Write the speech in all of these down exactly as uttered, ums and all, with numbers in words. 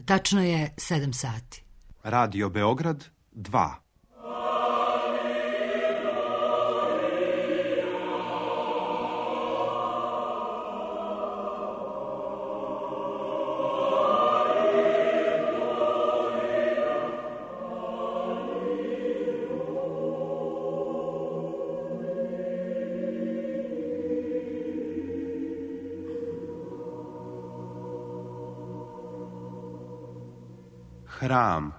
Tačno je sedam sati. Radio Beograd dva. Hram.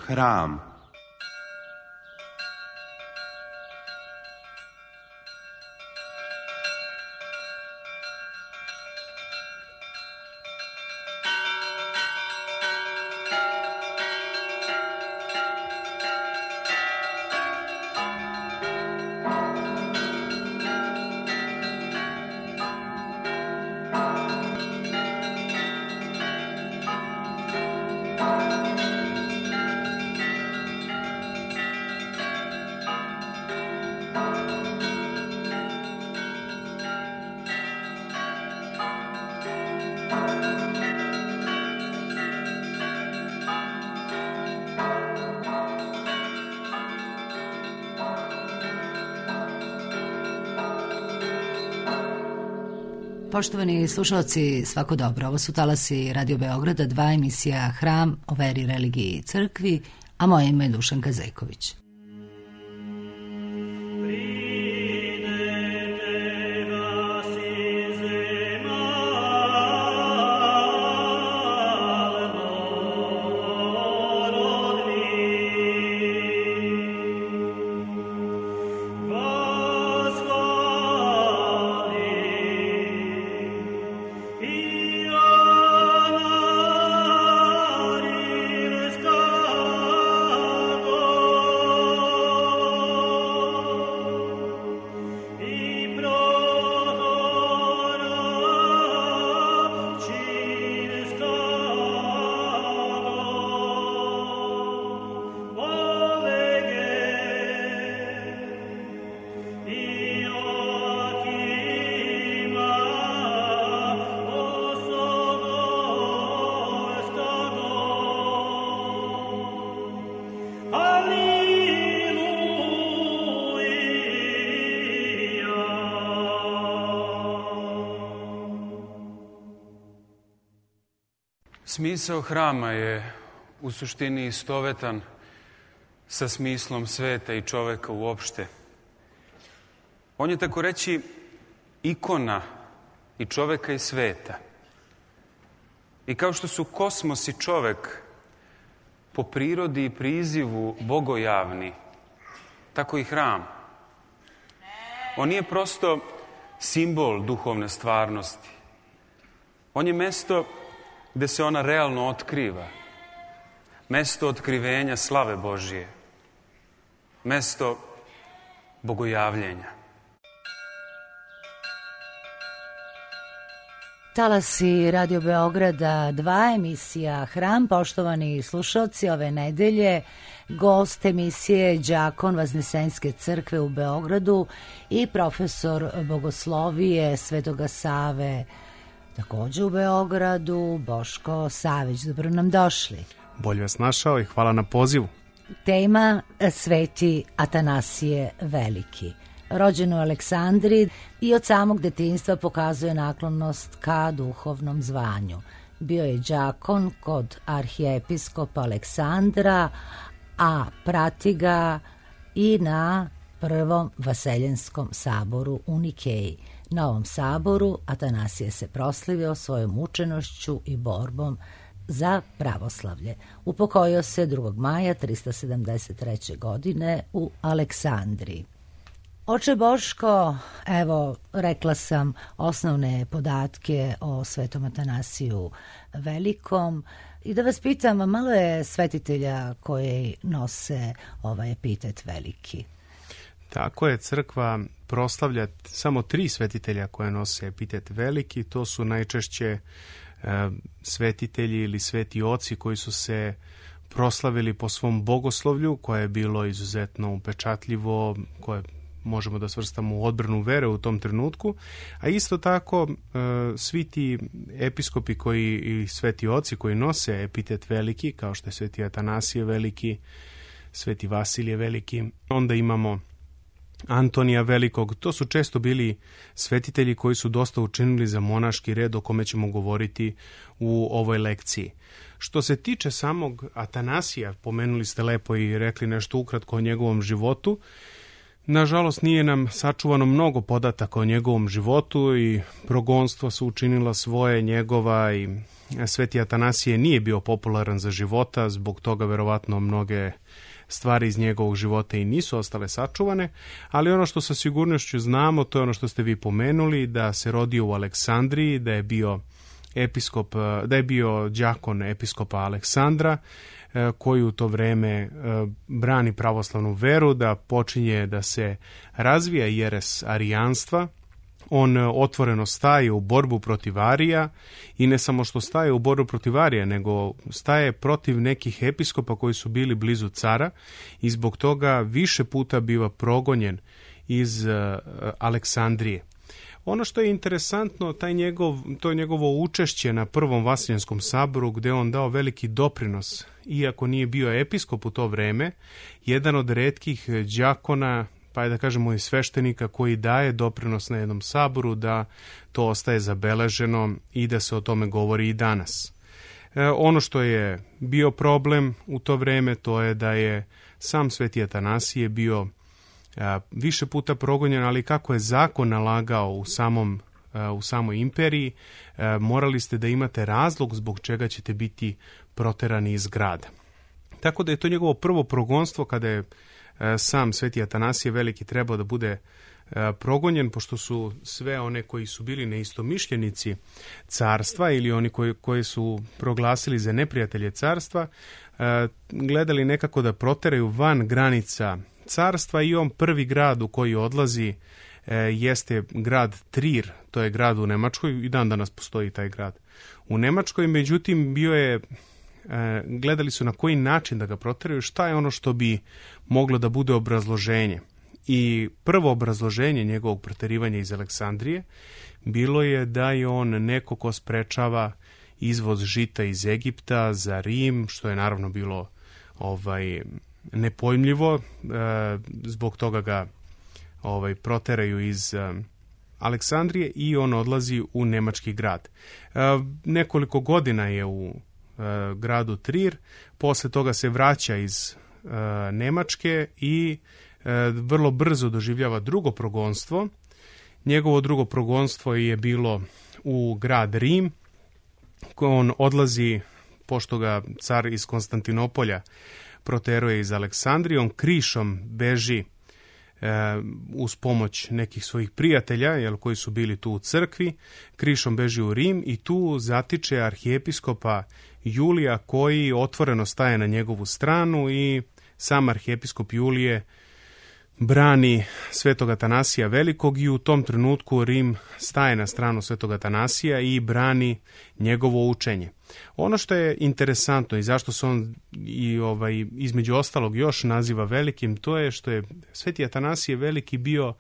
Hram. Poštovani slušalci, svako dobro. Ovo su talasi Radio Beograda, dva, emisija Hram o veri, religiji i crkvi, a moje ime je Dušanka Zejković. Smisao hrama je u suštini istovetan sa smislom sveta i čoveka uopšte. On je, tako reći, ikona i čoveka i sveta. I kao što su kosmos i čovek po prirodi i prizivu bogojavni, tako i hram. On nije prosto simbol duhovne stvarnosti. On je mesto gde se ona realno otkriva. Mesto otkrivenja slave Božije. Mesto bogojavljenja. Talasi Radio Beograda dva, emisija Hram. Poštovani slušalci, ove nedelje gost emisije đakon Vaznesenske crkve u Beogradu i profesor bogoslovije Svetoga Save takođe u Beogradu, Boško Savić. Dobro nam došli. Bolje vas našao i hvala na pozivu. Tema Sveti Atanasije Veliki. Rođen u Aleksandriji i od samog detinjstva pokazuje naklonost ka duhovnom zvanju. Bio je đakon kod arhijepiskopa Aleksandra, a prati ga i na Prvom Vaseljenskom saboru u Nikeji. Na ovom saboru Atanasije se proslavio svojom učenošću i borbom za pravoslavlje. Upokojio se drugog maja trista sedamdeset treće godine u Aleksandriji. Oče Boško, evo, rekla sam osnovne podatke o Svetom Atanasiju Velikom i da vas pitam, malo je svetitelja koji nose ovaj epitet veliki. Tako je, crkva proslavlja samo tri svetitelja koje nose epitet veliki. To su najčešće e, svetitelji ili sveti oci koji su se proslavili po svom bogoslovlju, koje je bilo izuzetno upečatljivo, koje možemo da svrstamo u odbranu vere u tom trenutku, a isto tako svi ti episkopi koji, i sveti oci koji nose epitet veliki, kao što je sveti Atanasije Veliki, sveti Vasilije Veliki, onda imamo Antonija Velikog. To su često bili svetitelji koji su dosta učinili za monaški red o kome ćemo govoriti u ovoj lekciji. Što se tiče samog Atanasija, pomenuli ste lepo i rekli nešto ukratko o njegovom životu. Nažalost, nije nam sačuvano mnogo podataka o njegovom životu i progonstvo su učinila svoje njegova i sveti Atanasije nije bio popularan za života, zbog toga verovatno mnoge stvari iz njegovog života i nisu ostale sačuvane, ali ono što sa sigurnošću znamo, to je ono što ste vi pomenuli, da se rodio u Aleksandriji, da je bio episkop, da je bio đakon episkopa Aleksandra, koji u to vreme brani pravoslavnu veru, da počinje da se razvija jeres arijanstva. On otvoreno staje u borbu protiv Arija i ne samo što staje u borbu protiv Arija, nego staje protiv nekih episkopa koji su bili blizu cara i zbog toga više puta biva progonjen iz Aleksandrije. Ono što je interesantno, taj njegov, to je njegovo učešće na Prvom Vasiljanskom saboru, gde on dao veliki doprinos, iako nije bio episkop u to vreme, jedan od retkih đakona, pa je da kažemo i sveštenika koji daje doprinos na jednom saboru, da to ostaje zabeleženo i da se o tome govori i danas. E, ono što je bio problem u to vreme, to je da je sam sveti Atanasije bio a, više puta progonjen, ali kako je zakon nalagao u samom a, u samoj imperiji, a, morali ste da imate razlog zbog čega ćete biti proterani iz grada. Tako da je to njegovo prvo progonstvo kada je sam sveti Atanasije Veliki trebao da bude progonjen, pošto su sve one koji su bili neistomišljenici carstva ili oni koji, koji su proglasili za neprijatelje carstva, gledali nekako da proteraju van granica carstva i on prvi grad u koji odlazi jeste grad Trir, to je grad u Nemačkoj, i dan danas postoji taj grad u Nemačkoj, međutim bio je gledali su na koji način da ga proteraju, šta je ono što bi moglo da bude obrazloženje. I prvo obrazloženje njegovog proterivanja iz Aleksandrije bilo je da je on neko ko sprečava izvoz žita iz Egipta za Rim, što je naravno bilo ovaj nepojmljivo, zbog toga ga ovaj proteraju iz Aleksandrije i on odlazi u nemački grad. Nekoliko godina je u gradu Trir, posle toga se vraća iz uh, Nemačke i uh, vrlo brzo doživljava drugo progonstvo. Njegovo drugo progonstvo je bilo u grad Rim. On odlazi, pošto ga car iz Konstantinopolja proteruje iz Aleksandrije, on krišom beži uh, uz pomoć nekih svojih prijatelja, jel, koji su bili tu u crkvi, krišom beži u Rim i tu zatiče arhijepiskopa Julija koji otvoreno staje na njegovu stranu i sam arhijepiskop Julije brani svetog Atanasija Velikog i u tom trenutku Rim staje na stranu svetog Atanasija i brani njegovo učenje. Ono što je interesantno i zašto se on i ovaj između ostalog još naziva velikim, to je što je sveti Atanasije Veliki bio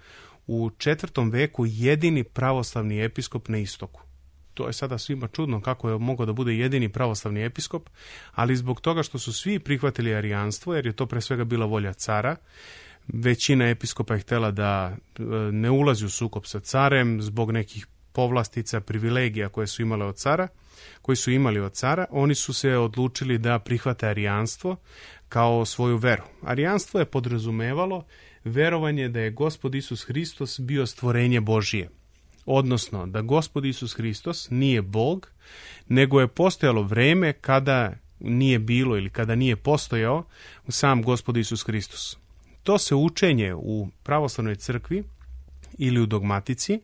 u četvrtom veku jedini pravoslavni episkop na istoku. To je sada svima čudno kako je mogao da bude jedini pravoslavni episkop, ali zbog toga što su svi prihvatili arijanstvo, jer je to pre svega bila volja cara, većina episkopa je htjela da ne ulazi u sukob sa carem zbog nekih povlastica, privilegija koje su imale od cara, koji su imali od cara, oni su se odlučili da prihvate arijanstvo kao svoju veru. Arijanstvo je podrazumevalo verovanje da je Gospod Isus Hristos bio stvorenje Božije. Odnosno, da Gospod Isus Hristos nije Bog, nego je postojalo vreme kada nije bilo ili kada nije postojao sam Gospod Isus Hristos. To se učenje u pravoslavnoj crkvi ili u dogmatici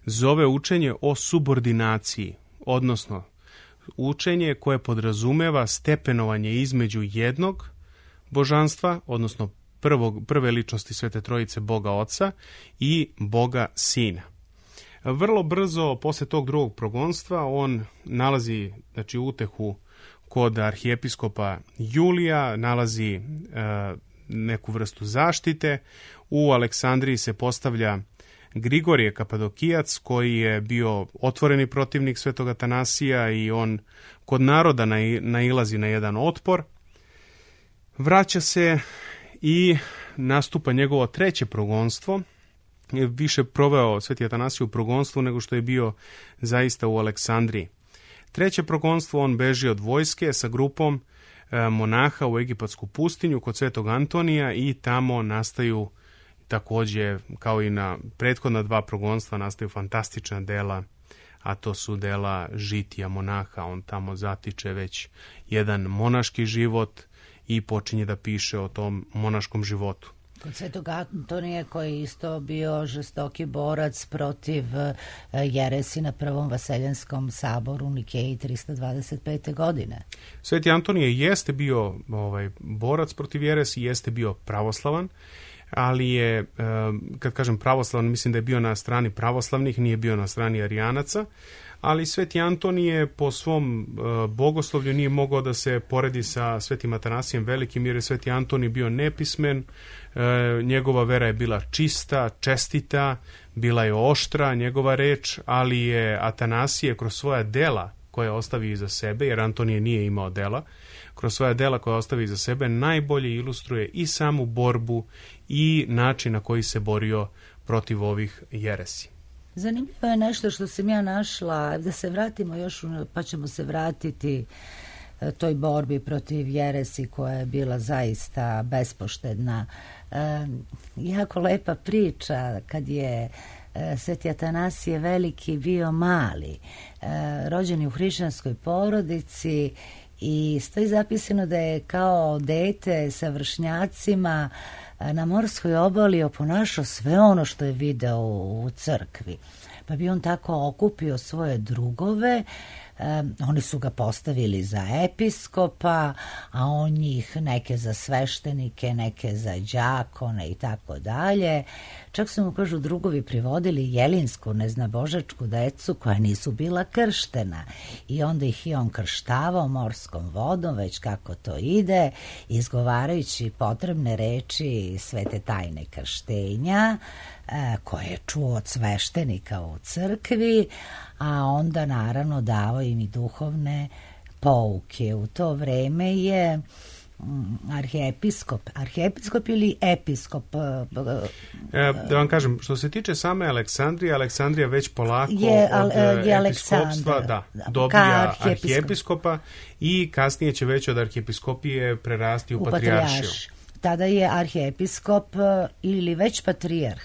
zove učenje o subordinaciji, odnosno učenje koje podrazumeva stepenovanje između jednog božanstva, odnosno prvog, prve ličnosti Svete Trojice, Boga Oca i Boga Sina. Vrlo brzo posle tog drugog progonstva on nalazi, znači, utehu kod arhijepiskopa Julija, nalazi e, neku vrstu zaštite. U Aleksandriji se postavlja Grigorije Kapadokijac, koji je bio otvoreni protivnik Svetog Atanasija i on kod naroda nailazi na jedan otpor. Vraća se i nastupa njegovo treće progonstvo. Više proveo Sveti Atanasij u progonstvu nego što je bio zaista u Aleksandriji. Treće progonstvo, on beži od vojske sa grupom monaha u egipatsku pustinju kod Svetog Antonija i tamo nastaju također, kao i na prethodna dva progonstva, nastaju fantastična dela, a to su dela žitija monaha. On tamo zatiče već jedan monaški život i počinje da piše o tom monaškom životu. Kod Svetog Antonija, koji je isto bio žestoki borac protiv jeresi na Prvom Vaseljanskom saboru u Nikeji trista dvadeset pete. godine. Sveti Antonije jeste bio ovaj, borac protiv jeresi, jeste bio pravoslavan, ali je, kad kažem pravoslavan, mislim da je bio na strani pravoslavnih, nije bio na strani arijanaca, ali Sveti Antonije po svom bogoslovlju nije mogao da se poredi sa Svetim Atanasijem Velikim, jer je Sveti Antonij bio nepismen, njegova vera je bila čista, čestita, bila je oštra njegova reč, ali je Atanasije kroz svoja dela koje ostavi iza sebe, jer Antonije nije imao dela, kroz svoja dela koje ostavi iza sebe najbolje ilustruje i samu borbu i način na koji se borio protiv ovih jeresi. Zanimljivo je nešto što sam ja našla, da se vratimo još, pa ćemo se vratiti toj borbi protiv jeresi koja je bila zaista bespoštedna. E, jako lepa priča kad je e, Sveti Atanasije Veliki bio mali, e, rođen je u hrišćanskoj porodici i stoji zapisano da je kao dete sa vršnjacima na morskoj obali oponašao sve ono što je video u crkvi. Pa bi on tako okupio svoje drugove, um, oni su ga postavili za episkopa, a on njih neke za sveštenike, neke za đakone i tako dalje. Čak su mu, kažu, drugovi privodili jelinsku neznabožačku decu koja nisu bila krštena i onda ih i on krštavao morskom vodom, već kako to ide, izgovarajući potrebne reči svete tajne krštenja koje je čuo od sveštenika u crkvi, a onda naravno davao im i duhovne pouke. U to vreme je arhijepiskop, arhijepiskop ili episkop? E, da vam kažem, što se tiče same Aleksandrije, Aleksandrija već polako je, od je episkopstva da, dobija arhijepiskopa i kasnije će već od arhijepiskopije prerasti u, u patrijaršiju. Tada je arhijepiskop ili već patrijarh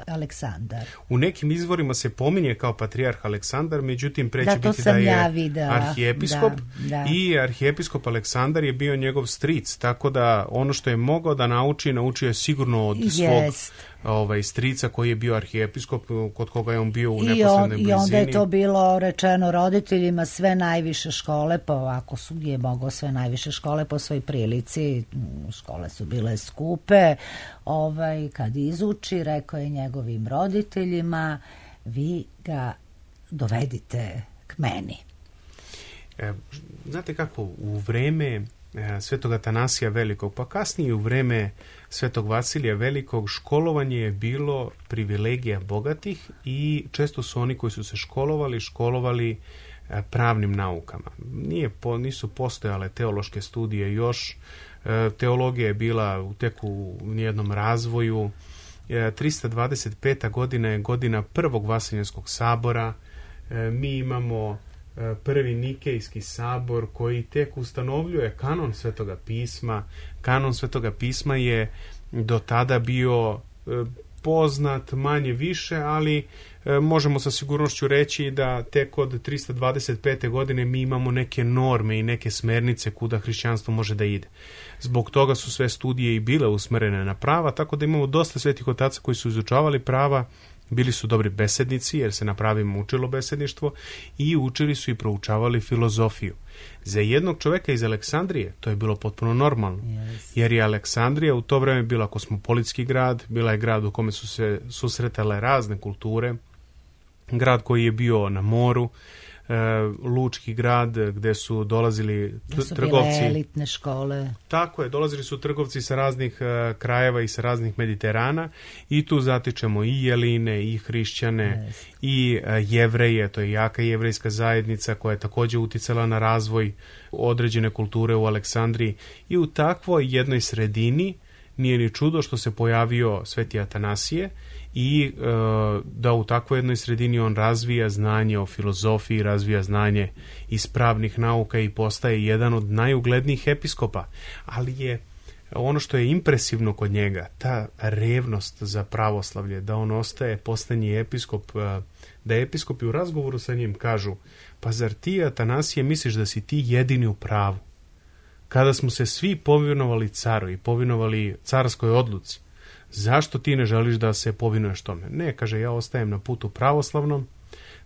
Aleksandar. U nekim izvorima se pominje kao patrijarh Aleksandar, međutim pre će da, biti da je ja arhijepiskop da, da. I arhijepiskop Aleksandar je bio njegov stric, tako da ono što je mogao da nauči, naučio je sigurno od svog Jest. ovaj, strica koji je bio arhijepiskop, kod koga je on bio u neposrednoj on, blizini. I onda je to bilo rečeno roditeljima, sve najviše škole, pa ovako su je mogao sve najviše škole po svoj prilici, škole su bile skupe, ovaj, kad izuči, rekao je njegovim roditeljima, vi ga dovedite k meni. E, znate kako, u vreme e, Svetog Atanasija Velikog, pa kasnije u vreme Svetog Vasilija Velikog, školovanje je bilo privilegija bogatih i često su oni koji su se školovali, školovali e, pravnim naukama. Nije, po, nisu postojale teološke studije još, e, teologija je bila u teku u jednom razvoju. E, trista dvadeset peta godina je godina prvog Vaseljanskog sabora. E, mi imamo prvi Nikejski sabor koji tek ustanovljuje kanon Svetoga pisma. Kanon Svetoga pisma je do tada bio poznat manje više, ali e, možemo sa sigurnošću reći da tek od trista dvadeset pete. godine mi imamo neke norme i neke smernice kuda hrišćanstvo može da ide. Zbog toga su sve studije i bile usmerene na prava, tako da imamo dosta svetih otaca koji su izučavali prava, bili su dobri besednici jer se na pravima učilo besedništvo i učili su i proučavali filozofiju. Za jednog čoveka iz Aleksandrije to je bilo potpuno normalno, yes. jer je Aleksandrija u to vreme bila kosmopolitski grad, bila je grad u kome su se susretale razne kulture, grad koji je bio na moru, e, lučki grad gde su dolazili da su trgovci. Bile elitne škole. Tako je, dolazili su trgovci sa raznih e, krajeva i sa raznih Mediterana i tu zatičemo i Jeline, i hrišćane, yes. i e, Jevreje, to je jaka jevrejska zajednica koja je također uticala na razvoj određene kulture u Aleksandriji i u takvoj jednoj sredini nije ni čudo što se pojavio Sveti Atanasije i e, da u takvoj jednoj sredini on razvija znanje o filozofiji, razvija znanje iz pravnih nauka i postaje jedan od najuglednijih episkopa. Ali je ono što je impresivno kod njega, ta revnost za pravoslavlje, da on ostaje posljednji episkop, da episkopi u razgovoru sa njim kažu, pa zar ti, Atanasije, misliš da si ti jedini u pravu? Kada smo se svi povinovali caru i povinovali carskoj odluci, zašto ti ne želiš da se povinuješ tome? Ne, kaže, ja ostajem na putu pravoslavnom,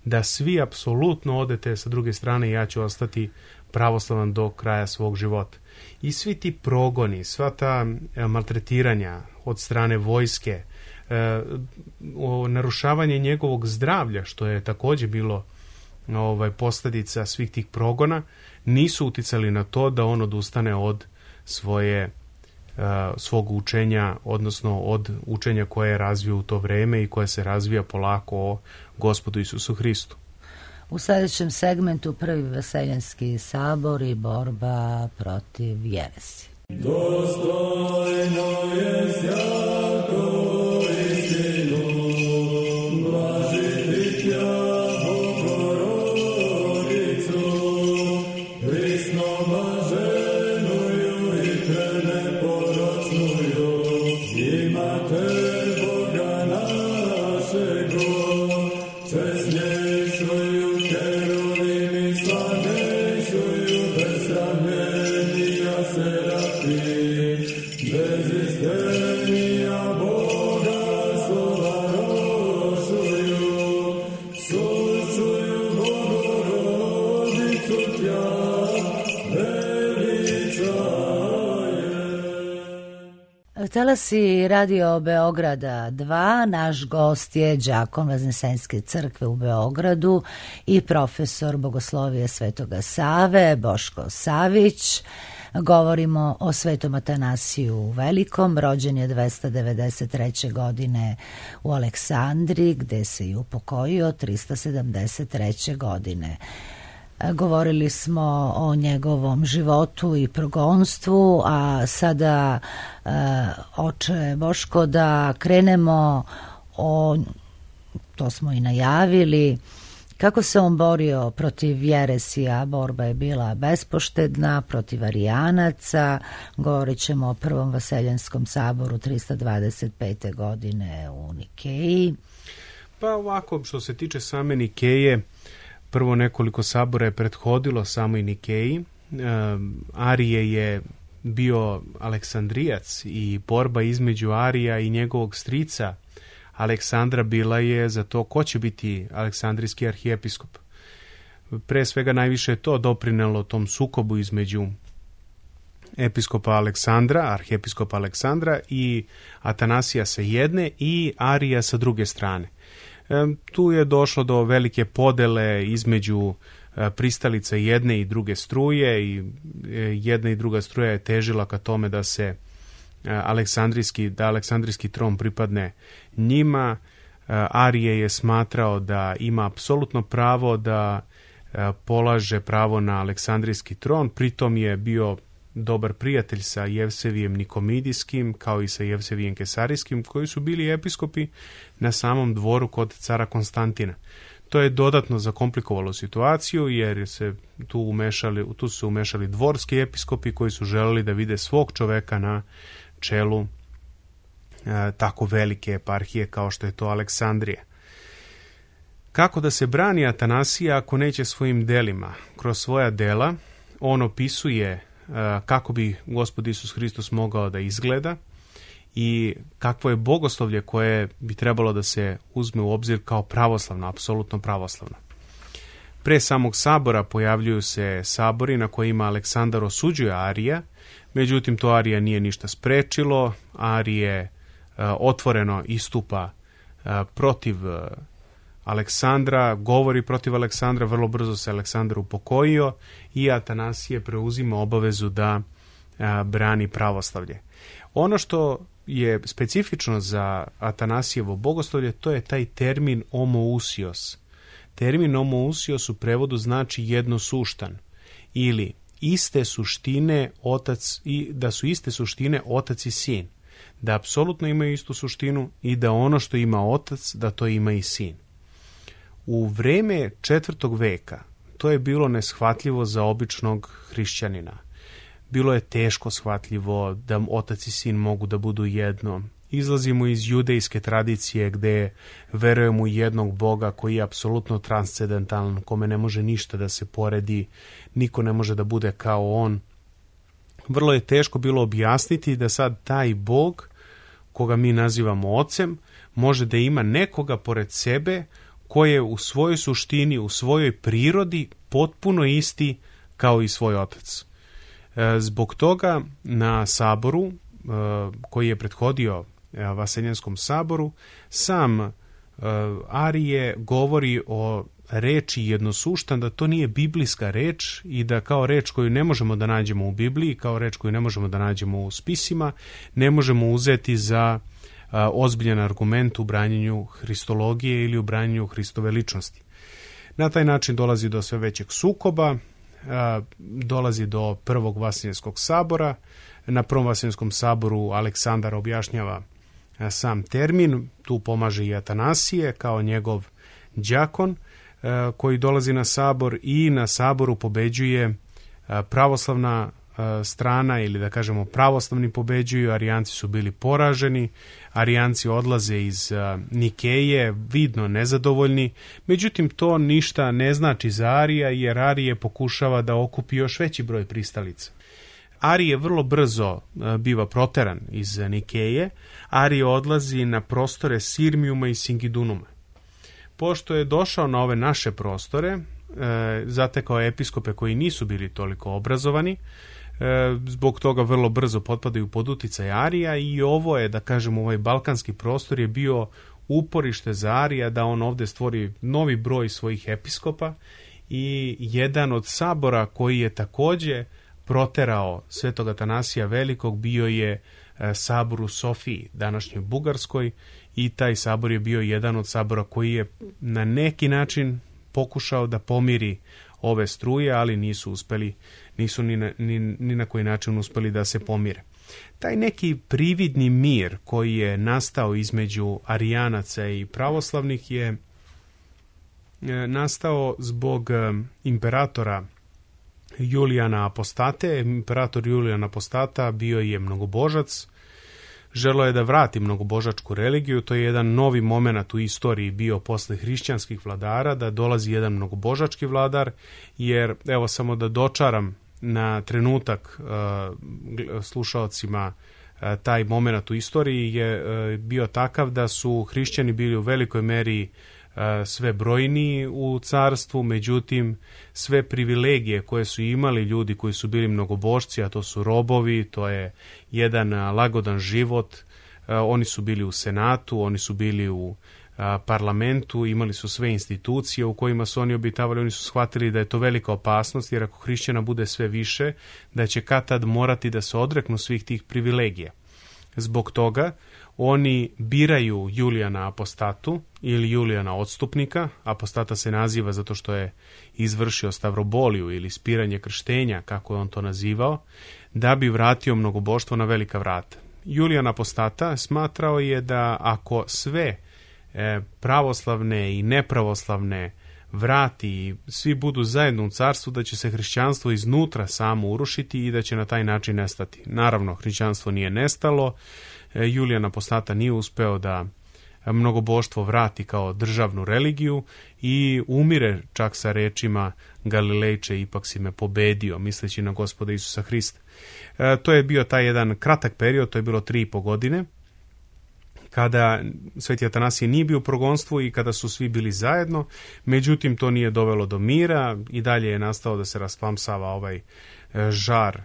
da svi apsolutno odete sa druge strane, ja ću ostati pravoslavan do kraja svog života. I svi ti progoni, sva ta e, maltretiranja od strane vojske, e, o, narušavanje njegovog zdravlja, što je također bilo ovaj, posljedica svih tih progona, nisu uticali na to da on odustane od svoje uh, svog učenja, odnosno od učenja koje je razvio u to vreme i koje se razvija polako o Gospodu Isusu Hristu. U sljedećem segmentu prvi Vaseljenski sabor i borba protiv jeresi. Dostojno je sjako istinu, blažiti tja Bogorodicu, prisno blaženuju i preneporočnuju, imate Boga našego, česnješuju keruvimi, slavnešuju besramljenija serafi, bez istenija Boga sovarošuju, sučuju Bogorodicu tja veličaje. Talasi Radio Beograda dva, naš gost je đakon Vaznesenske crkve u Beogradu i profesor Bogoslovije Svetoga Save, Boško Savić. Govorimo o Svetom Atanasiju Velikom, rođen je dvesta devedeset treće. godine u Aleksandriji, gde se i upokojio trista sedamdeset treće. godine. Govorili smo o njegovom životu i progonstvu, a sada, e, oče Boško, da krenemo o, to smo i najavili, kako se on borio protiv jeresija. Borba je bila bespoštedna, protiv arijanaca. Govorit ćemo o prvom Vaseljenskom saboru trista dvadeset pete. godine u Nikeji. Pa ovako, što se tiče same Nikeje, prvo nekoliko sabora je prethodilo samoj Nikeji. E, Arije je bio Aleksandrijac i borba između Arija i njegovog strica Aleksandra bila je za to ko će biti aleksandrijski arhijepiskop. Pre svega najviše je to doprinelo tom sukobu između episkopa Aleksandra, arhijepiskopa Aleksandra i Atanasija sa jedne i Arija sa druge strane. Tu je došlo do velike podele između pristalica jedne i druge struje i jedna i druga struja je težila ka tome da se aleksandrijski, da aleksandrijski tron pripadne njima. Arije je smatrao da ima apsolutno pravo da polaže pravo na aleksandrijski tron, pritom je bio dobar prijatelj sa Jevsevijem Nikomidijskim kao i sa Jevsevijem Kesarijskim, koji su bili episkopi na samom dvoru kod cara Konstantina. To je dodatno zakomplikovalo situaciju jer se tu umešali, tu su se umešali dvorski episkopi koji su želeli da vide svog čoveka na čelu tako velike eparhije kao što je to Aleksandrija. Kako da se brani Atanasije ako neće svojim delima? Kroz svoja dela on opisuje kako bi Gospod Isus Hristos mogao da izgleda i kakvo je bogoslovlje koje bi trebalo da se uzme u obzir kao pravoslavno, apsolutno pravoslavno. Pre samog sabora pojavljuju se sabori na kojima Aleksandar osuđuje Arija, međutim to Arija nije ništa sprečilo. Arije otvoreno istupa protiv Aleksandra, govori protiv Aleksandra, vrlo brzo se Aleksandar upokojio i Atanasije preuzima obavezu da a, brani pravoslavlje. Ono što je specifično za Atanasijevo bogoslovlje, to je taj termin homoousios. Termin homoousios u prevodu znači jednosuštan ili iste suštine otac i da su iste suštine otac i sin. Da apsolutno imaju istu suštinu i da ono što ima otac, da to ima i sin. U vreme četvrtog veka to je bilo neshvatljivo za običnog hrišćanina. Bilo je teško shvatljivo da otac i sin mogu da budu jedno. Izlazimo iz judejske tradicije gde verujemo u jednog Boga koji je apsolutno transcendentalan, kome ne može ništa da se poredi, niko ne može da bude kao on. Vrlo je teško bilo objasniti da sad taj Bog, koga mi nazivamo ocem, može da ima nekoga pored sebe koji je u svojoj suštini, u svojoj prirodi potpuno isti kao i svoj otac. Zbog toga na saboru koji je prethodio Vaseljanskom saboru, sam Arije govori o reči jednosuštan, da to nije biblijska reč i da kao reč koju ne možemo da nađemo u Bibliji, kao reč koju ne možemo da nađemo u spisima, ne možemo uzeti za ozbiljan argument u branjenju hristologije ili u branjenju Hristove ličnosti. Na taj način dolazi do sve većeg sukoba, dolazi do prvog Vaseljanskog sabora. Na prvom Vaseljanskom saboru Aleksandar objašnjava sam termin, tu pomaže i Atanasije kao njegov đakon koji dolazi na sabor i na saboru pobeđuje pravoslavna strana ili da kažemo pravoslavni pobeđuju, Arijanci su bili poraženi, Arijanci odlaze iz Nikeje, vidno nezadovoljni, međutim to ništa ne znači za Arija jer Arije pokušava da okupi još veći broj pristalica. Arije vrlo brzo biva proteran iz Nikeje, Arije odlazi na prostore Sirmijuma i Singidunuma. Pošto je došao na ove naše prostore, zatekao episkope koji nisu bili toliko obrazovani, zbog toga vrlo brzo potpadaju pod uticaj Arija i ovo je, da kažem, ovaj balkanski prostor je bio uporište za Arija da on ovde stvori novi broj svojih episkopa i jedan od sabora koji je takođe proterao Svetog Atanasija Velikog bio je sabor u Sofiji, današnjoj Bugarskoj, i taj sabor je bio jedan od sabora koji je na neki način pokušao da pomiri ove struje, ali nisu uspeli, nisu ni na, ni, ni na koji način uspeli da se pomire. Taj neki prividni mir koji je nastao između Arijanaca i pravoslavnih je nastao zbog imperatora Julijana Apostate. Imperator Julijan Apostata bio je mnogobožac, želeo je da vrati mnogobožačku religiju, to je jedan novi moment u istoriji bio posle hrišćanskih vladara, da dolazi jedan mnogobožački vladar, jer evo samo da dočaram na trenutak uh, slušaocima uh, taj moment u istoriji je uh, bio takav da su hrišćani bili u velikoj meri sve brojniji u carstvu, međutim sve privilegije koje su imali ljudi koji su bili mnogobožci, a to su robovi, to je jedan lagodan život, oni su bili u senatu, oni su bili u parlamentu, imali su sve institucije u kojima su oni obitavali, oni su shvatili da je to velika opasnost, jer ako hrišćana bude sve više, da će kad tad morati da se odreknu svih tih privilegija. Zbog toga oni biraju Julijana Apostatu ili Julijana Odstupnika. Apostata se naziva zato što je izvršio stavroboliju ili spiranje krštenja, kako je on to nazivao, da bi vratio mnogoboštvo na velika vrata. Julijan Apostata smatrao je da ako sve e, pravoslavne i nepravoslavne vrati i svi budu zajedno u carstvu, da će se hrišćanstvo iznutra samo urušiti i da će na taj način nestati. Naravno, hrišćanstvo nije nestalo, Julijan Apostata nije uspeo da mnogoboštvo vrati kao državnu religiju i umire čak sa rečima Galilejče, ipak si me pobedio, misleći na Gospoda Isusa Hrista. E, to je bio taj jedan kratak period, to je bilo tri i po godine, kada Sveti Atanasije nije bio u progonstvu i kada su svi bili zajedno, međutim to nije dovelo do mira i dalje je nastao da se rasplamsava ovaj žar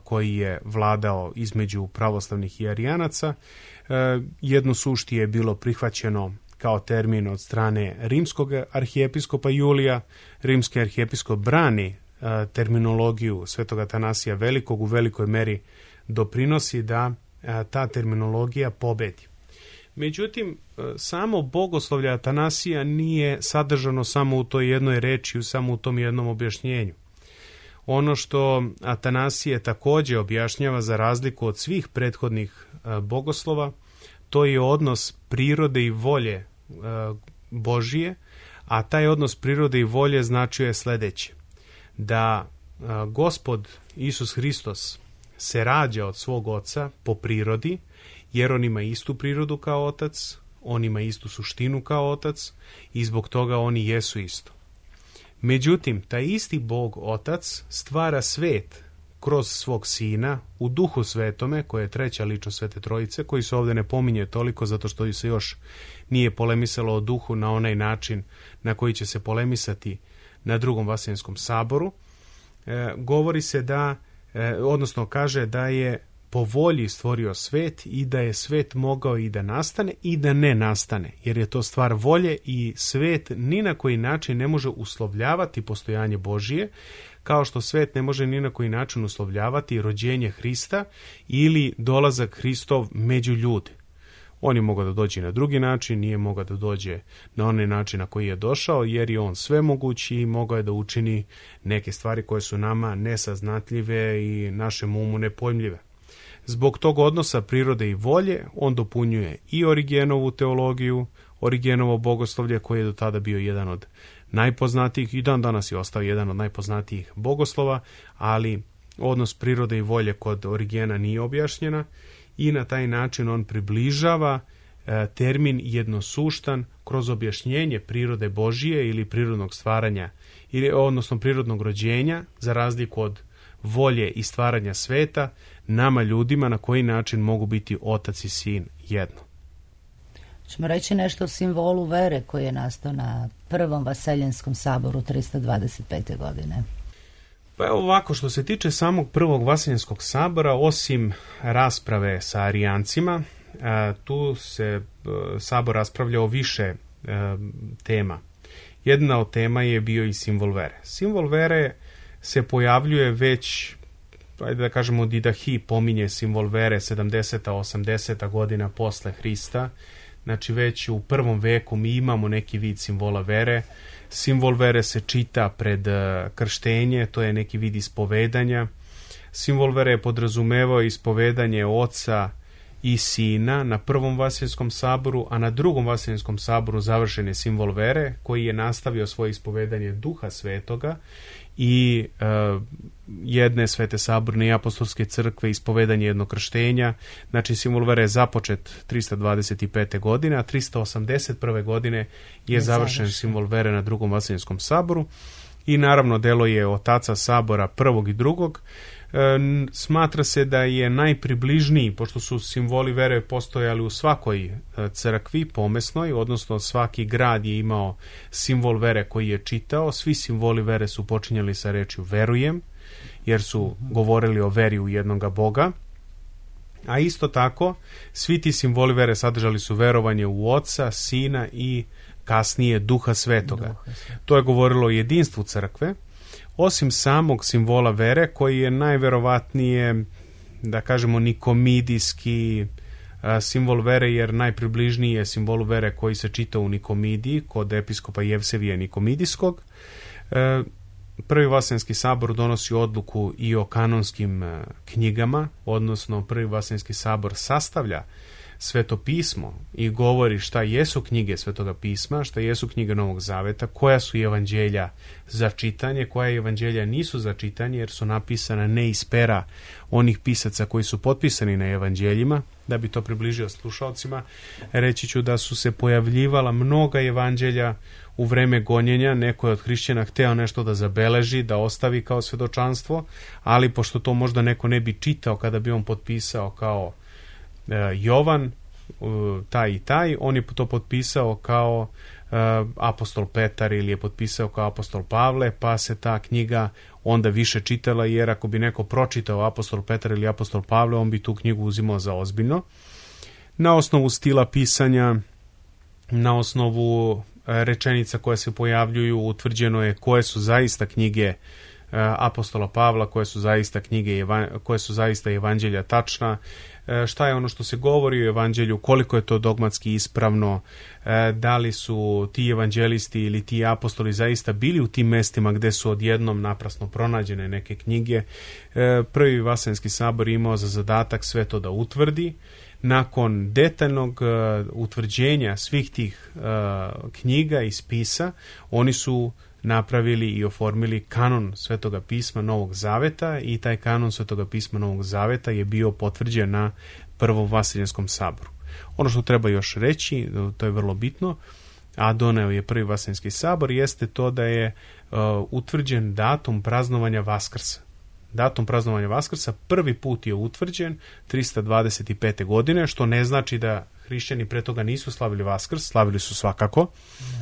koji je vladao između pravoslavnih i arijanaca. Jedno sušti je bilo prihvaćeno kao termin od strane rimskog arhijepiskopa Julija. Rimski arhijepiskop brani terminologiju Svetog Atanasija Velikog, u velikoj meri doprinosi da ta terminologija pobedi. Međutim, samo bogoslovlje Atanasija nije sadržano samo u toj jednoj reči, samo u tom jednom objašnjenju. Ono što Atanasije također objašnjava za razliku od svih prethodnih bogoslova, to je odnos prirode i volje Božije, a taj odnos prirode i volje značuje sljedeće: da Gospod Isus Hristos se rađa od svog oca po prirodi, jer on ima istu prirodu kao otac, on ima istu suštinu kao otac i zbog toga oni jesu isto. Međutim, taj isti Bog Otac stvara svet kroz svog Sina u Duhu Svetome, koji je treća ličnost Svete Trojice, koji se ovdje ne pominje toliko zato što se još nije polemisalo o Duhu na onaj način na koji će se polemisati na drugom Vasilijanskom saboru. E, govori se da, e, odnosno kaže da je po volji stvorio svet i da je svet mogao i da nastane i da ne nastane, jer je to stvar volje i svet ni na koji način ne može uslovljavati postojanje Božije, kao što svet ne može ni na koji način uslovljavati rođenje Hrista ili dolazak Hristov među ljude. On je mogao da dođe na drugi način, nije mogao da dođe na onaj način na koji je došao, jer je on svemogući i mogao je da učini neke stvari koje su nama nesaznatljive i našem umu nepojmljive. Zbog tog odnosa prirode i volje on dopunjuje i Origenovu teologiju, Origenovo bogoslovlje, koji je do tada bio jedan od najpoznatijih i dan danas je ostao jedan od najpoznatijih bogoslova, ali odnos prirode i volje kod Origena nije objašnjena i na taj način on približava e, termin jednosuštan kroz objašnjenje prirode Božije ili prirodnog stvaranja, ili, odnosno prirodnog rođenja, za razliku od volje i stvaranja sveta, nama ljudima na koji način mogu biti otac i sin jedno. Ćemo reći nešto o simbolu vere koji je nastao na prvom Vaseljanskom saboru tristo dvadeset pete. godine. Pa evo ovako, što se tiče samog prvog Vaseljanskog sabora, osim rasprave sa arijancima, tu se sabor raspravljao o više tema. Jedna od tema je bio i simbol vere. Simbol vere se pojavljuje već, ajde da kažemo, Didahi pominje simbol vere sedamdeseta osamdeseta godina posle Hrista. Znači već u prvom veku mi imamo neki vid simbola vere. Simbol vere se čita pred krštenje, to je neki vid ispovedanja. Simbol vere je podrazumevao ispovedanje oca i sina na prvom Vaseljanskom saboru, a na drugom Vaseljanskom saboru završen je simbol vere, koji je nastavio svoje ispovedanje Duha Svetoga i e, jedne Svete saborne i apostolske crkve, ispovedanje jednog krštenja. Znači simbol vere je započet tristo dvadeset pete. godine, a tristo osamdeset prve. godine je, je završen, završen simbol vere na drugom Vaseljanskom saboru i naravno delo je otaca sabora prvog i drugog. Smatra se da je najpribližniji, pošto su simboli vere postojali u svakoj crkvi pomesnoj, odnosno svaki grad je imao simbol vere koji je čitao. Svi simboli vere su počinjali sa rečju verujem, jer su govorili o veri u jednoga Boga. A isto tako, svi ti simboli vere sadržali su verovanje u Oca, Sina i kasnije Duha Svetoga. Duha. To je govorilo o jedinstvu crkve. Osim samog simbola vere, koji je najverovatnije, da kažemo, nikomidijski a, simbol vere, jer najpribližniji je simbolu vere koji se čita u Nikomidiji kod episkopa Jevsevija Nikomidijskog. E, Prvi Vaseljanski sabor donosi odluku i o kanonskim a, knjigama, odnosno Prvi Vaseljanski sabor sastavlja svetopismo i govori šta jesu knjige Svetoga pisma, šta jesu knjige Novog Zaveta, koja su evanđelja za čitanje, koja evanđelja nisu za čitanje jer su napisana ne iz pera onih pisaca koji su potpisani na evanđeljima. Da bi to približio slušalcima, reći ću da su se pojavljivala mnoga evanđelja u vreme gonjenja. Neko je od hrišćana hteo nešto da zabeleži, da ostavi kao svedočanstvo, ali pošto to možda neko ne bi čitao kada bi on potpisao kao e, Jovan, e, taj i taj, on je to potpisao kao e, apostol Petar ili je potpisao kao apostol Pavle, pa se ta knjiga onda više čitala, jer ako bi neko pročitao apostol Petar ili apostol Pavle, on bi tu knjigu uzimao za ozbiljno. Na osnovu stila pisanja, na osnovu rečenica koje se pojavljuju, utvrđeno je koje su zaista knjige apostola Pavla, koje su zaista knjige, koje su zaista evanđelja tačna, šta je ono što se govori o evanđelju, koliko je to dogmatski ispravno, da li su ti evanđelisti ili ti apostoli zaista bili u tim mestima gde su odjednom naprasno pronađene neke knjige. Prvi Vaseljenski sabor imao za zadatak sve to da utvrdi. Nakon detaljnog uh, utvrđenja svih tih uh, knjiga i spisa, oni su napravili i oformili kanon Svetoga pisma Novog Zaveta i taj kanon Svetoga pisma Novog Zaveta je bio potvrđen na Prvom Vaseljenskom saboru. Ono što treba još reći, to je vrlo bitno, a doneo je Prvi Vaseljenski sabor, jeste to da je uh, utvrđen datum praznovanja Vaskrsa. Datum praznovanja Vaskrsa prvi put je utvrđen trista dvadeset pete. godine, što ne znači da hrišćani pre toga nisu slavili Vaskrs, slavili su svakako,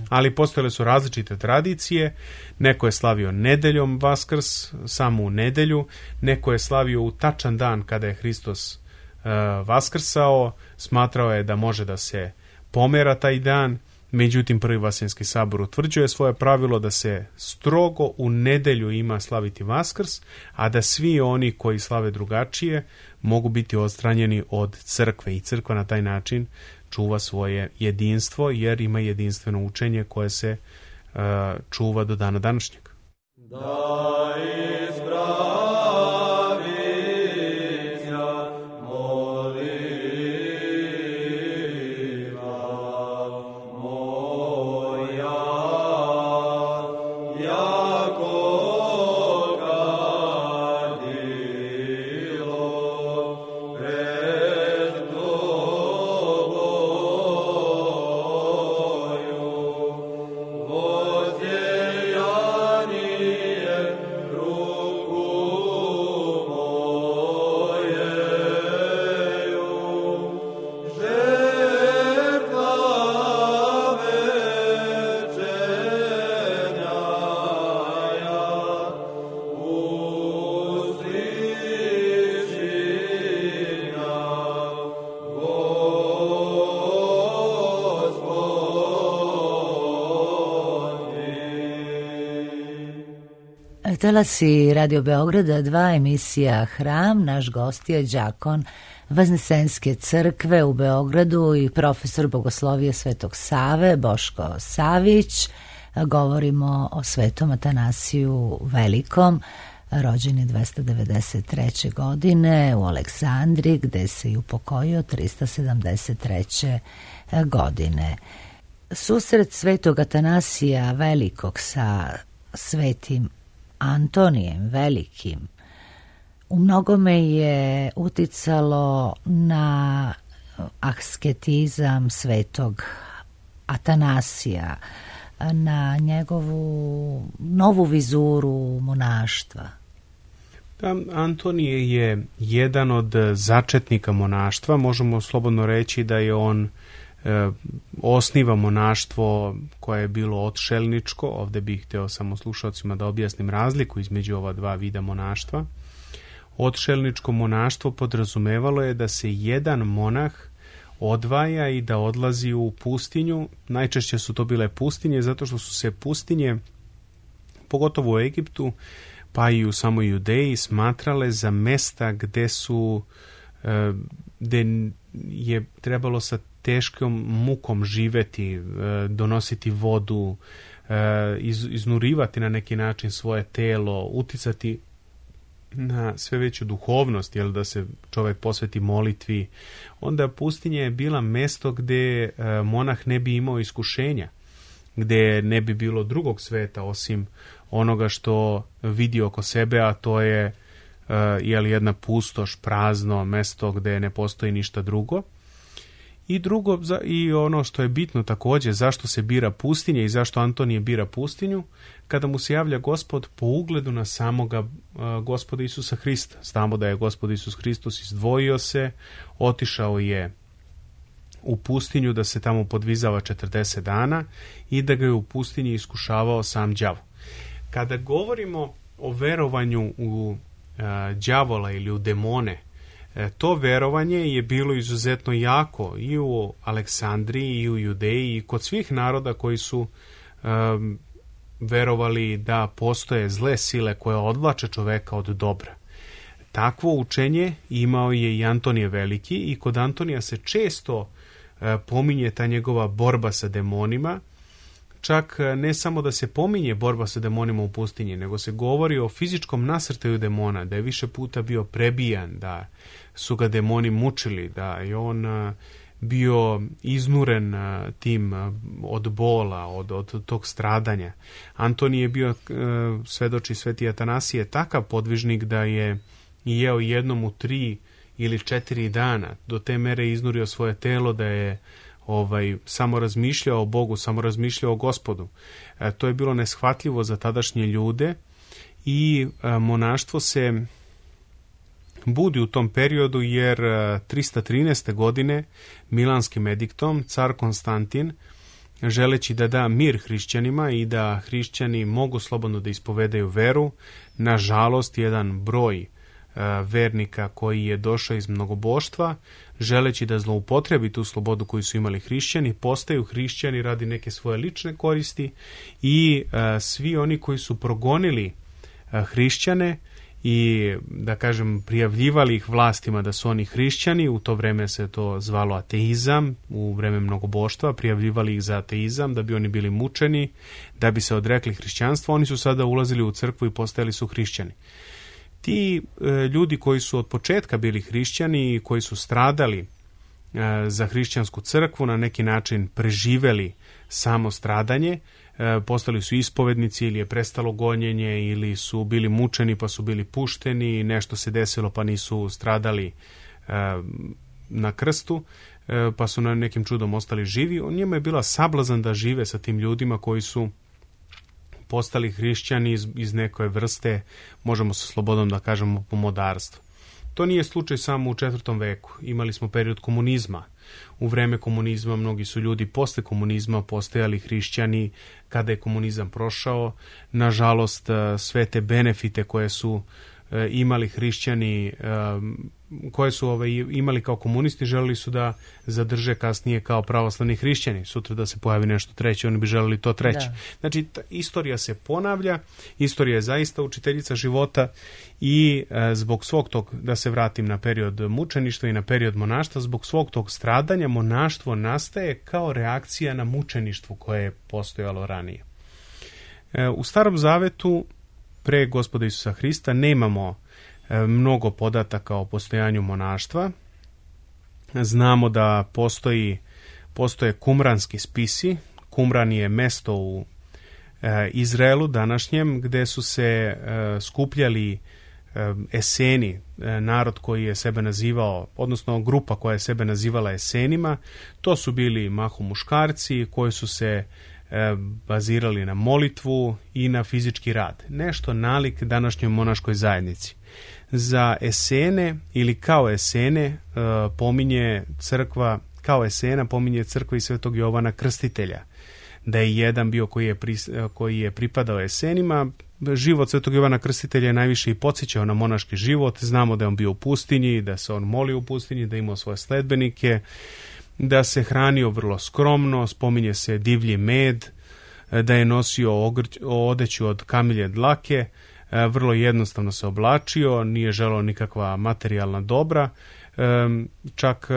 ali postojale su različite tradicije. Neko je slavio nedeljom Vaskrs, samo u nedelju, neko je slavio u tačan dan kada je Hristos uh, vaskrsao, smatrao je da može da se pomera taj dan. Međutim, Prvi Vaseljenski sabor utvrđuje svoje pravilo da se strogo u nedelju ima slaviti Vaskrs, a da svi oni koji slave drugačije mogu biti odstranjeni od crkve i crkva na taj način čuva svoje jedinstvo, jer ima jedinstveno učenje koje se uh, čuva do dana današnjeg. Da izbra... Talasi Radio Beograda dva, emisija Hram. Naš gost je đakon Vaznesenske crkve u Beogradu i profesor bogoslovije Svetog Save, Boško Savić. Govorimo o Svetom Atanasiju Velikom. Rođen je dvesta devedeset treće. godine u Aleksandriji, gde se i upokojio trista sedamdeset treće. godine. Susret Svetog Atanasija Velikog sa Svetim Antonijem Velikim u mnogome je uticalo na asketizam Svetog Atanasija, na njegovu novu vizuru monaštva. Antonije je jedan od začetnika monaštva. Možemo slobodno reći da je on e, osniva monaštvo koje je bilo odšelničko. Ovde bih hteo samo slušalcima da objasnim razliku između ova dva vida monaštva. Odšelničko monaštvo podrazumevalo je da se jedan monah odvaja i da odlazi u pustinju. Najčešće su to bile pustinje, zato što su se pustinje, pogotovo u Egiptu, pa i u samoj Judeji, smatrale za mesta gde su gde je trebalo sa teškom mukom živeti, donositi vodu, iz, iznurivati na neki način svoje telo, uticati na sve veću duhovnost, jel, da se čovjek posveti molitvi, onda pustinja je bila mesto gdje e, monah ne bi imao iskušenja, gdje ne bi bilo drugog sveta osim onoga što vidi oko sebe, a to je e, jel, jedna pustoš, prazno mesto gdje ne postoji ništa drugo. I drugo, i ono što je bitno također, zašto se bira pustinja i zašto Antonije bira pustinju, kada mu se javlja Gospod po ugledu na samoga uh, Gospoda Isusa Hrista. Znamo da je Gospod Isus Hristos izdvojio se, otišao je u pustinju da se tamo podvizava četrdeset dana i da ga je u pustinji iskušavao sam đavo. Kada govorimo o verovanju u uh, đavola ili u demone, to verovanje je bilo izuzetno jako i u Aleksandriji i u Judeji i kod svih naroda koji su um, verovali da postoje zle sile koje odvlače čoveka od dobra. Takvo učenje imao je i Antonije Veliki i kod Antonija se često uh, pominje ta njegova borba sa demonima. Čak ne samo da se pominje borba sa demonima u pustinji, nego se govori o fizičkom nasrtaju demona, da je više puta bio prebijan, da su ga demoni mučili, da je on bio iznuren tim od bola, od, od tog stradanja. Antonije je bio, svedoči sveti Atanasije, takav podvižnik da je jeo jednom u tri ili četiri dana, do te mere iznurio svoje telo da je ovaj samo razmišljao o Bogu, samo razmišljao o Gospodu. E, to je bilo neshvatljivo za tadašnje ljude i e, monaštvo se budi u tom periodu jer e, trista trinaeste. godine milanskim ediktom car Konstantin, želeći da da mir hrišćanima i da hrišćani mogu slobodno da ispovedaju veru, nažalost jedan broj vernika koji je došao iz mnogoboštva, želeći da zloupotrebi tu slobodu koju su imali hrišćani, postaju hrišćani radi neke svoje lične koristi i a, svi oni koji su progonili a, hrišćane i, da kažem, prijavljivali ih vlastima da su oni hrišćani, u to vreme se to zvalo ateizam, u vreme mnogoboštva, prijavljivali ih za ateizam da bi oni bili mučeni, da bi se odrekli hrišćanstva, oni su sada ulazili u crkvu i postajali su hrišćani. Ti e, ljudi koji su od početka bili hrišćani i koji su stradali e, za hrišćansku crkvu, na neki način preživeli samo stradanje, e, postali su ispovednici ili je prestalo gonjenje ili su bili mučeni pa su bili pušteni, nešto se desilo pa nisu stradali e, na krstu, e, pa su na nekim čudom ostali živi. On njima je bila sablazan da žive sa tim ljudima koji su postali hrišćani iz, iz neke vrste, možemo sa slobodom da kažemo, pomodarstva. To nije slučaj samo u četvrtom veku. Imali smo period komunizma. U vreme komunizma mnogi su ljudi posle komunizma postajali hrišćani. Kada je komunizam prošao, nažalost, sve te benefite koje su imali hrišćani, koje su ovaj, imali kao komunisti, želeli su da zadrže kasnije kao pravoslavni hrišćani. Sutra da se pojavi nešto treće, oni bi želeli to treće. Da. Znači, ta istorija se ponavlja, istorija je zaista učiteljica života i e, zbog svog tog, da se vratim na period mučeništva i na period monaštva, zbog svog tog stradanja monaštvo nastaje kao reakcija na mučeništvo koje je postojalo ranije. E, u Starom Zavetu pre Gospoda Isusa Hrista nemamo e, mnogo podataka o postojanju monaštva. Znamo da postoji, postoje kumranski spisi. Kumran je mesto u e, Izraelu današnjem gde su se e, skupljali e, Eseni, e, narod koji je sebe nazivao, odnosno grupa koja je sebe nazivala Esenima. To su bili mahom muškarci koji su se bazirali na molitvu i na fizički rad. Nešto nalik današnjoj monaškoj zajednici. Za Esene ili kao Esene pominje crkva, kao Esena pominje crkva i svetog Jovana Krstitelja. Da je jedan bio koji je, pri, koji je pripadao Esenima. Život svetog Jovana Krstitelja je najviše i podsjećao na monaški život. Znamo da je on bio u pustinji, da se on molio u pustinji, da je imao svoje sledbenike, da se hranio vrlo skromno, spominje se divlji med, da je nosio ogrć, odeću od kamilje dlake, vrlo jednostavno se oblačio, nije želeo nikakva materijalna dobra, čak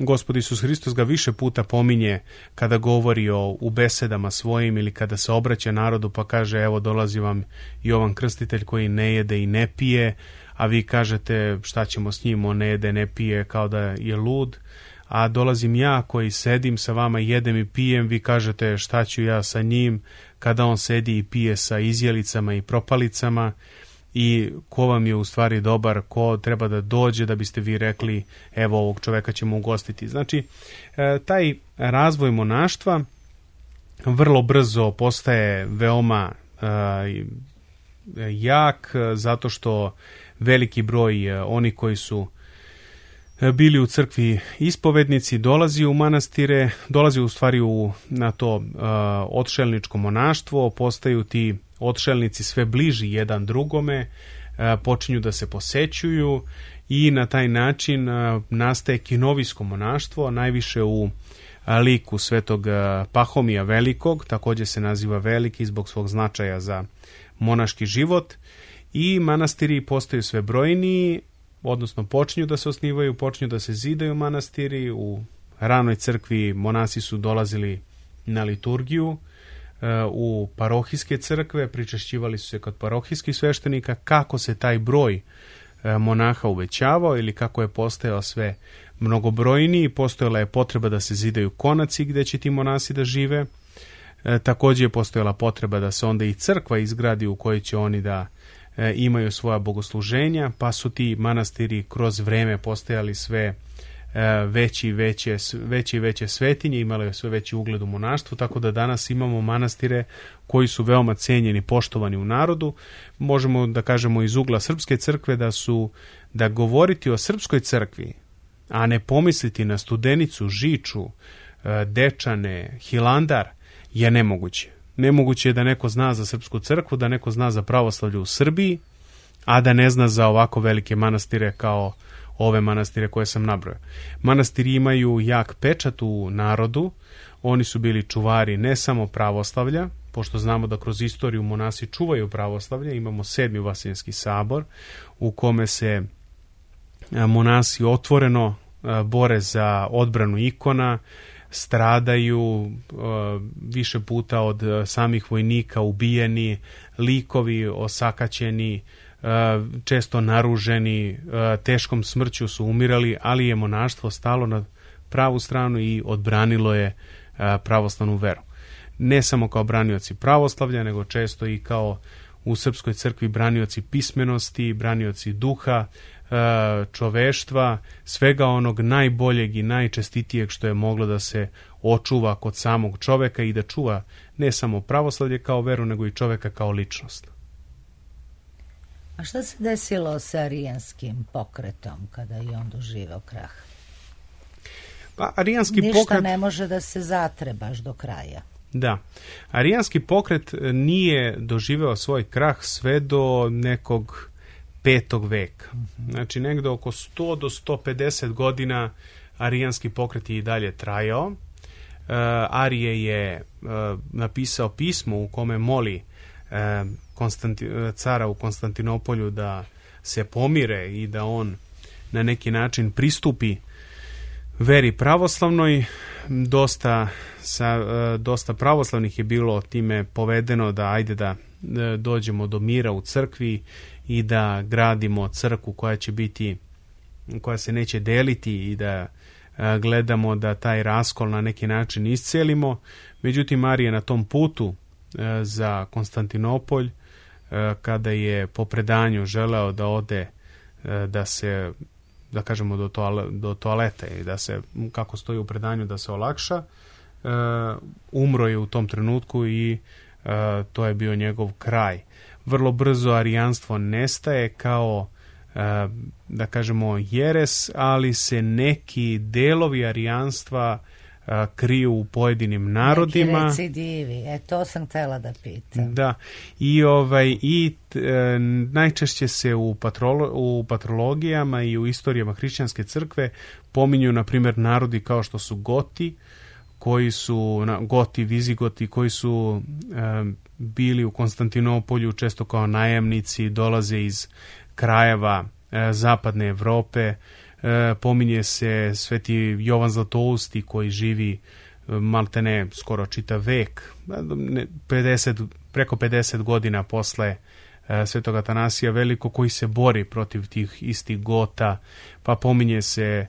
Gospod Isus Hristos ga više puta pominje kada govori o, u besedama svojim ili kada se obraća narodu, pa kaže, evo dolazi vam Jovan Krstitelj koji ne jede i ne pije, a vi kažete šta ćemo s njim, on ne jede, ne pije, kao da je lud. A dolazim ja koji sedim sa vama, jedem i pijem, vi kažete šta ću ja sa njim, kada on sedi i pije sa izjelicama i propalicama. I ko vam je u stvari dobar, ko treba da dođe da biste vi rekli, evo ovog čoveka ćemo ugostiti. Znači, taj razvoj monaštva vrlo brzo postaje veoma jak, zato što veliki broj oni koji su bili u crkvi ispovednici dolazi u manastire, dolazi u stvari u, na to uh, odšelničko monaštvo, postaju ti odšelnici sve bliži jedan drugome, uh, počinju da se posećuju i na taj način uh, nastaje kinovijsko monaštvo, najviše u uh, liku svetog uh, Pahomija Velikog, također se naziva Veliki zbog svog značaja za monaški život, i manastiri postaju sve brojniji, odnosno počinju da se osnivaju, počinju da se zidaju manastiri. U ranoj crkvi monasi su dolazili na liturgiju, u parohijske crkve, pričešćivali su se kod parohijskih sveštenika. Kako se taj broj monaha uvećavao ili kako je postajao sve mnogobrojniji, postojala je potreba da se zidaju konaci gdje će ti monasi da žive. Također je postojala potreba da se onda i crkva izgradi u kojoj će oni da imaju svoja bogosluženja, pa su ti manastiri kroz vreme postajali sve veći i veće, veće i veće svetinje, imali sve veći ugled u monaštvu, tako da danas imamo manastire koji su veoma cenjeni, poštovani u narodu. Možemo da kažemo iz ugla Srpske crkve da su, da govoriti o Srpskoj crkvi, a ne pomisliti na Studenicu, Žiču, Dečane, Hilandar, je nemoguće. Nemoguće je da neko zna za Srpsku crkvu, da neko zna za pravoslavlje u Srbiji, a da ne zna za ovako velike manastire kao ove manastire koje sam nabrojao. Manastiri imaju jak pečat u narodu, oni su bili čuvari ne samo pravoslavlja, pošto znamo da kroz istoriju monasi čuvaju pravoslavlje, imamo sedmi Vaseljenski sabor u kome se monasi otvoreno bore za odbranu ikona, stradaju, više puta od samih vojnika ubijeni, likovi osakaćeni, često naruženi, teškom smrću su umirali, ali je monaštvo stalo na pravu stranu i odbranilo je pravoslavnu veru. Ne samo kao branioci pravoslavlja, nego često i kao u Srpskoj crkvi branioci pismenosti, branioci duha, čoveštva, svega onog najboljeg i najčestitijeg što je moglo da se očuva kod samog čoveka i da čuva ne samo pravoslavlje kao veru, nego i čoveka kao ličnost. A šta se desilo sa arijanskim pokretom kada je on doživao krah? Pa, arijanski Ništa pokret... ne može da se zatre baš do kraja. Da. Arijanski pokret nije doživeo svoj krah sve do nekog petog veka. Znači negde oko sto do sto pedeset godina arijanski pokret je i dalje trajao. Uh, Arije je uh, napisao pismo u kome moli uh, Konstanti- cara u Konstantinopolju da se pomire i da on na neki način pristupi veri pravoslavnoj. Dosta, sa, uh, dosta pravoslavnih je bilo time povedeno da ajde da uh, dođemo do mira u crkvi i da gradimo crkvu koja će biti, koja se neće deliti i da a, gledamo da taj raskol na neki način iscelimo. Međutim, Arije na tom putu a, za Konstantinopolj, a, kada je po predanju želeo da ode, a, da se, da kažemo, do, toale, do toalete i da se, kako stoji u predanju, da se olakša, a, umro je u tom trenutku i a, to je bio njegov kraj. Vrlo brzo arijanstvo nestaje kao, da kažemo, jeres, ali se neki delovi arijanstva kriju u pojedinim narodima. Neki recidivi, e to sam htjela da pitam. Da, i, ovaj, i e, najčešće se u, patrolo, u patrologijama i u istorijama hrišćanske crkve pominju, na primjer, narodi kao što su Goti, koji su, Goti, Vizigoti, koji su e, bili u Konstantinopolju često kao najamnici, dolaze iz krajeva e, zapadne Evrope, e, pominje se sveti Jovan Zlatousti koji živi maltene skoro čitav vek, pedeset, preko pedeset godina posle e, svetog Atanasija Velikog, koji se bori protiv tih istih Gota, pa pominje se e,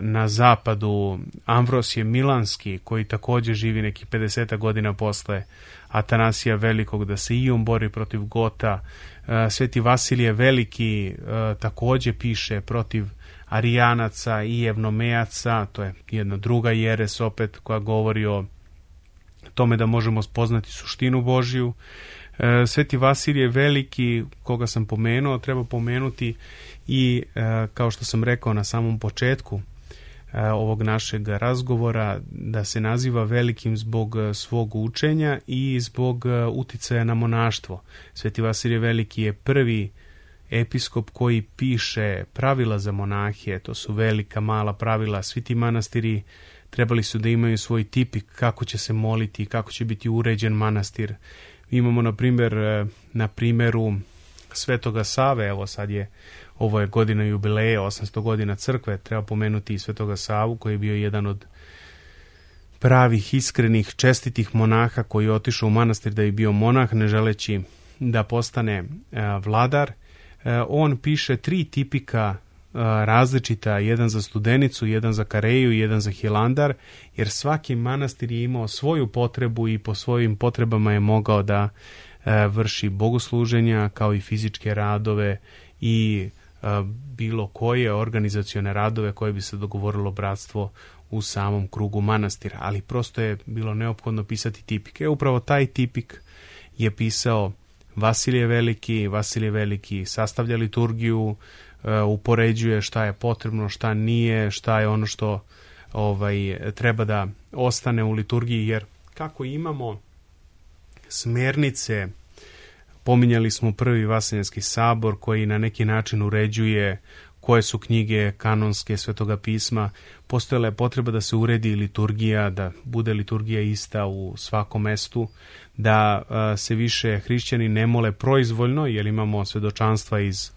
na zapadu Amvrosije Milanski koji također živi nekih pedeset godina posle Atanasija Velikog, da se i on bori protiv Gota. E, sveti Vasilije Veliki e, također piše protiv Arijanaca i Evnomejaca, to je jedna druga jeres opet koja govori o tome da možemo spoznati suštinu Božju. E, Sveti Vasilije Veliki, koga sam pomenuo, treba pomenuti i, e, kao što sam rekao na samom početku e, ovog našeg razgovora, da se naziva velikim zbog svog učenja i zbog uticaja na monaštvo. Sveti Vasilije Veliki je prvi episkop koji piše pravila za monahe, to su velika, mala pravila. Svi ti manastiri trebali su da imaju svoj tipik kako će se moliti, kako će biti uređen manastir. Imamo na primjer na primjeru Svetoga Save, evo sad je, ovo je godina jubileja, osamsto godina crkve, treba pomenuti i Svetoga Savu koji je bio jedan od pravih, iskrenih, čestitih monaha koji je otišao u manastir da je bio monah, ne želeći da postane vladar. On piše tri tipika različita, jedan za Studenicu, jedan za Kareju i jedan za Hilandar, jer svaki manastir je imao svoju potrebu i po svojim potrebama je mogao da vrši bogosluženja kao i fizičke radove i bilo koje organizacione radove koje bi se dogovorilo bratstvo u samom krugu manastira, ali prosto je bilo neophodno pisati tipike. Upravo taj tipik je pisao Vasilije Veliki. Vasilije Veliki sastavlja liturgiju, upoređuje šta je potrebno, šta nije, šta je ono što ovaj, treba da ostane u liturgiji, jer kako imamo smernice, pominjali smo prvi Vaseljenski sabor koji na neki način uređuje koje su knjige kanonske Svetoga pisma, postojala je potreba da se uredi liturgija, da bude liturgija ista u svakom mestu, da a, se više hrišćani ne mole proizvoljno, jer imamo svedočanstva iz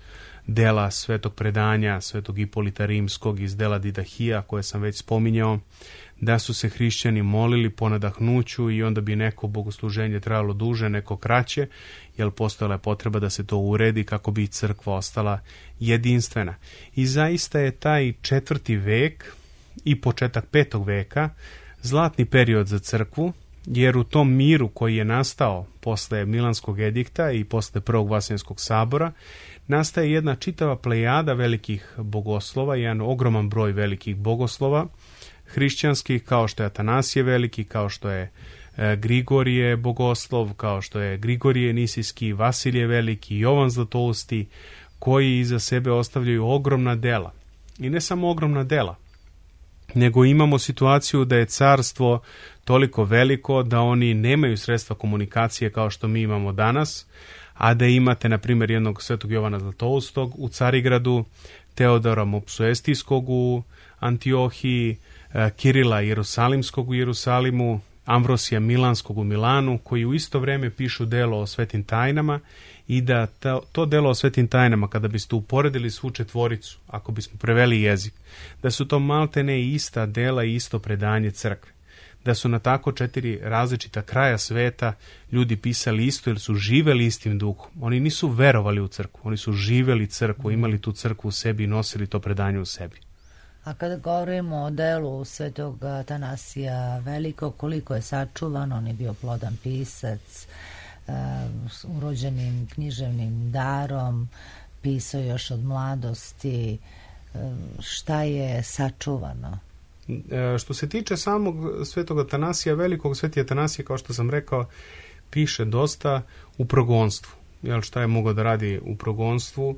dela Svetog predanja, Svetog Ipolita Rimskog, iz dela Didahija koje sam već spominjao, da su se hrišćani molili po nadahnuću i onda bi neko bogosluženje trajalo duže, neko kraće, jer postojala je potreba da se to uredi kako bi crkva ostala jedinstvena. I zaista je taj četvrti vek i početak petog veka zlatni period za crkvu, jer u tom miru koji je nastao posle Milanskog edikta i posle prvog Vaseljenskog sabora nastaje jedna čitava plejada velikih bogoslova, jedan ogroman broj velikih bogoslova hrišćanskih, kao što je Atanasije Veliki, kao što je e, Grigorije bogoslov, kao što je Grigorije Nisijski, Vasilije Veliki, Jovan Zlatousti, koji iza sebe ostavljaju ogromna dela. I ne samo ogromna dela, nego imamo situaciju da je carstvo toliko veliko da oni nemaju sredstva komunikacije kao što mi imamo danas, a da imate, na primjer, jednog Svetog Jovana Zlatoustog u Carigradu, Teodora Mopsuestijskog u Antiohiji, Kirila Jerusalimskog u Jerusalimu, Amvrosija Milanskog u Milanu, koji u isto vrijeme pišu delo o svetim tajnama, i da to, to delo o svetim tajnama, kada biste uporedili svu četvoricu, ako bismo preveli jezik, da su to maltene ista dela i isto predanje crkve. Da su na tako četiri različita kraja sveta ljudi pisali isto jer su živeli istim duhom. Oni nisu verovali u crkvu, oni su živeli crkvu, imali tu crkvu u sebi i nosili to predanje u sebi. A kada govorimo o delu Svetog Atanasija Velikog, koliko je sačuvan, on je bio plodan pisac, uh, s urođenim književnim darom, pisao još od mladosti, uh, šta je sačuvano? E, što se tiče samog Svetog Atanasija Velikog, Sveti Atanasije, kao što sam rekao, piše dosta u progonstvu. Jel, šta je mogao da radi u progonstvu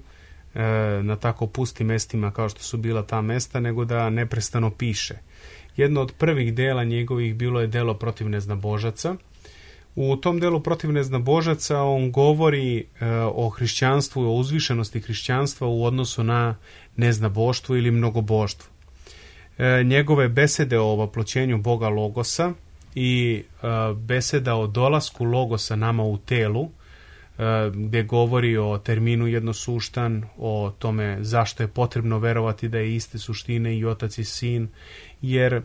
e, na tako pustim mestima kao što su bila ta mesta, nego da neprestano piše. Jedno od prvih dela njegovih bilo je delo protiv neznabožaca. U tom delu protiv neznabožaca on govori e, o hrišćanstvu, o uzvišenosti hrišćanstva u odnosu na neznaboštvo ili mnogoboštvo. E, njegove besede o ovoploćenju Boga Logosa i e, beseda o dolasku Logosa nama u telu gde govori o terminu jednosuštan, o tome zašto je potrebno verovati da je iste suštine i Otac i Sin, jer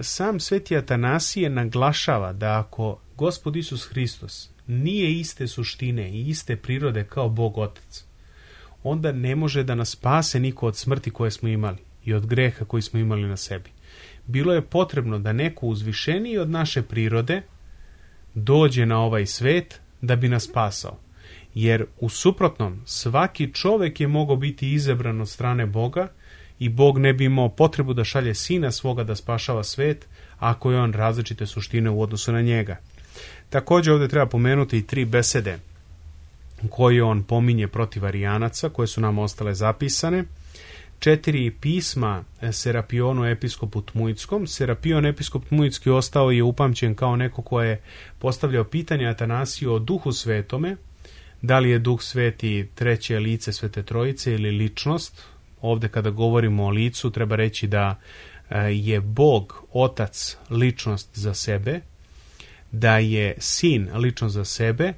sam Sveti Atanasije naglašava da ako Gospod Isus Hristos nije iste suštine i iste prirode kao Bog Otac, onda ne može da nas spase niko od smrti koje smo imali i od greha koji smo imali na sebi. Bilo je potrebno da neko uzvišeniji od naše prirode dođe na ovaj svet da bi nas spasao. Jer u suprotnom, svaki čovek je mogao biti izabran od strane Boga i Bog ne bi imao potrebu da šalje Sina svoga da spašava svet, ako je on različite suštine u odnosu na njega. Također ovdje treba pomenuti i tri besede koje on pominje protiv Arijanaca, koje su nam ostale zapisane. Četiri pisma Serapionu episkopu Tmujskom. Serapion episkop Tmujski ostao je upamćen kao neko ko je postavljao pitanje Atanasiju o Duhu Svetome, da li je Duh Sveti treće lice Svete Trojice ili ličnost. Ovdje kada govorimo o licu treba reći da je Bog Otac ličnost za sebe, da je Sin ličnost za sebe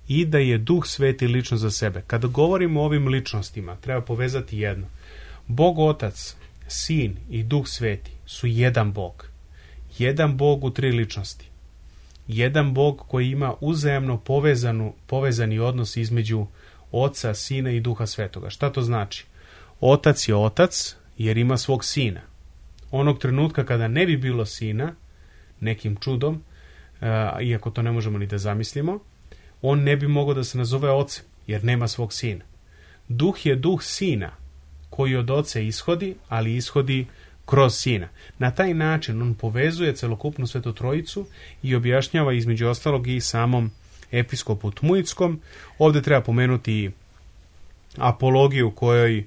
i da je Duh Sveti ličnost za sebe. Kada govorimo o ovim ličnostima treba povezati jedno. Bog Otac, Sin i Duh Sveti su jedan Bog. Jedan Bog u tri ličnosti. Jedan Bog koji ima uzajamno povezanu, povezani odnos između Oca, Sina i Duha Svetoga. Šta to znači? Otac je Otac jer ima svog Sina. Onog trenutka kada ne bi bilo Sina, nekim čudom, uh, iako to ne možemo ni da zamislimo, on ne bi mogao da se nazove Ocem jer nema svog Sina. Duh je Duh Sina koji od Oca ishodi, ali ishodi kroz Sina. Na taj način on povezuje celokupnu Svetu Trojicu i objašnjava između ostalog i samom episkopu Tmujskom. Ovdje treba pomenuti apologiju kojoj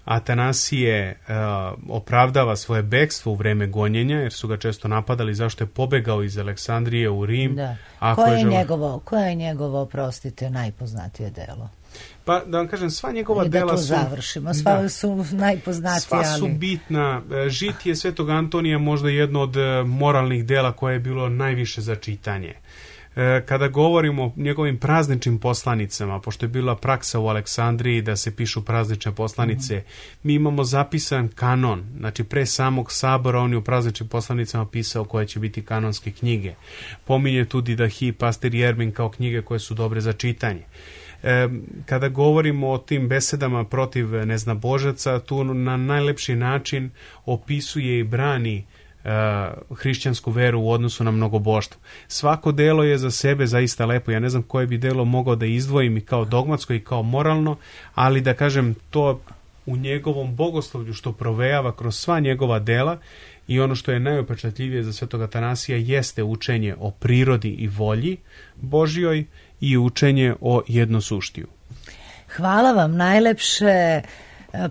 Atanasije uh, opravdava svoje bekstvo u vreme gonjenja, jer su ga često napadali zašto je pobegao iz Aleksandrije u Rim. Da. Ako koje, je je žel... njegovo, koje je njegovo, oprostite, najpoznatije delo? Pa da vam kažem, sva njegova I dela da to su... završimo, sva da, su najpoznatija. Sva su ali... bitna. Žitije Svetog Antonija možda jedno od moralnih dela koje je bilo najviše za čitanje. Kada govorimo o njegovim prazničnim poslanicama, pošto je bila praksa u Aleksandriji da se pišu praznične poslanice, mm. mi imamo zapisan kanon. Znači, pre samog sabora on je u prazničnim poslanicama pisao koje će biti kanonske knjige. Pominje tu Didahi, Pastir Jermin kao knjige koje su dobre za čitanje. E, kada govorimo o tim besedama protiv neznabožaca, tu na najlepši način opisuje i brani Uh, hrišćansku veru u odnosu na mnogoboštvo. Svako delo je za sebe zaista lepo. Ja ne znam koje bi delo mogao da izdvojim i kao dogmatsko i kao moralno, ali da kažem to u njegovom bogoslovlju što provejava kroz sva njegova dela i ono što je najupečatljivije za Svetog Atanasija jeste učenje o prirodi i volji Božjoj i učenje o jednosuštiju. Hvala vam najlepše,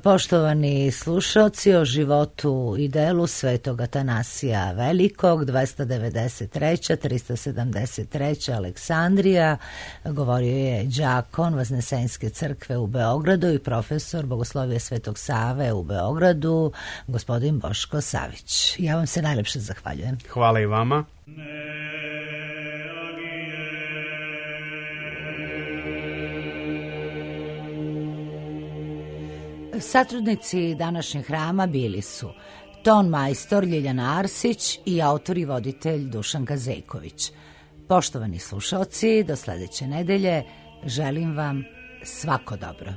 poštovani slušalci, o životu i delu Svetog Atanasija Velikog, dvesta devedeset treća trista sedamdeset treća Aleksandrija. Govorio je đakon Vaznesenske crkve u Beogradu i profesor Bogoslovije Svetog Save u Beogradu, gospodin Boško Savić. Ja vam se najlepše zahvaljujem. Hvala i vama. Satrudnici današnjeg hrama bili su ton majstor Ljiljana Arsić i autor i voditelj Dušan Gazejković. Poštovani slušalci, do sledeće nedelje želim vam svako dobro.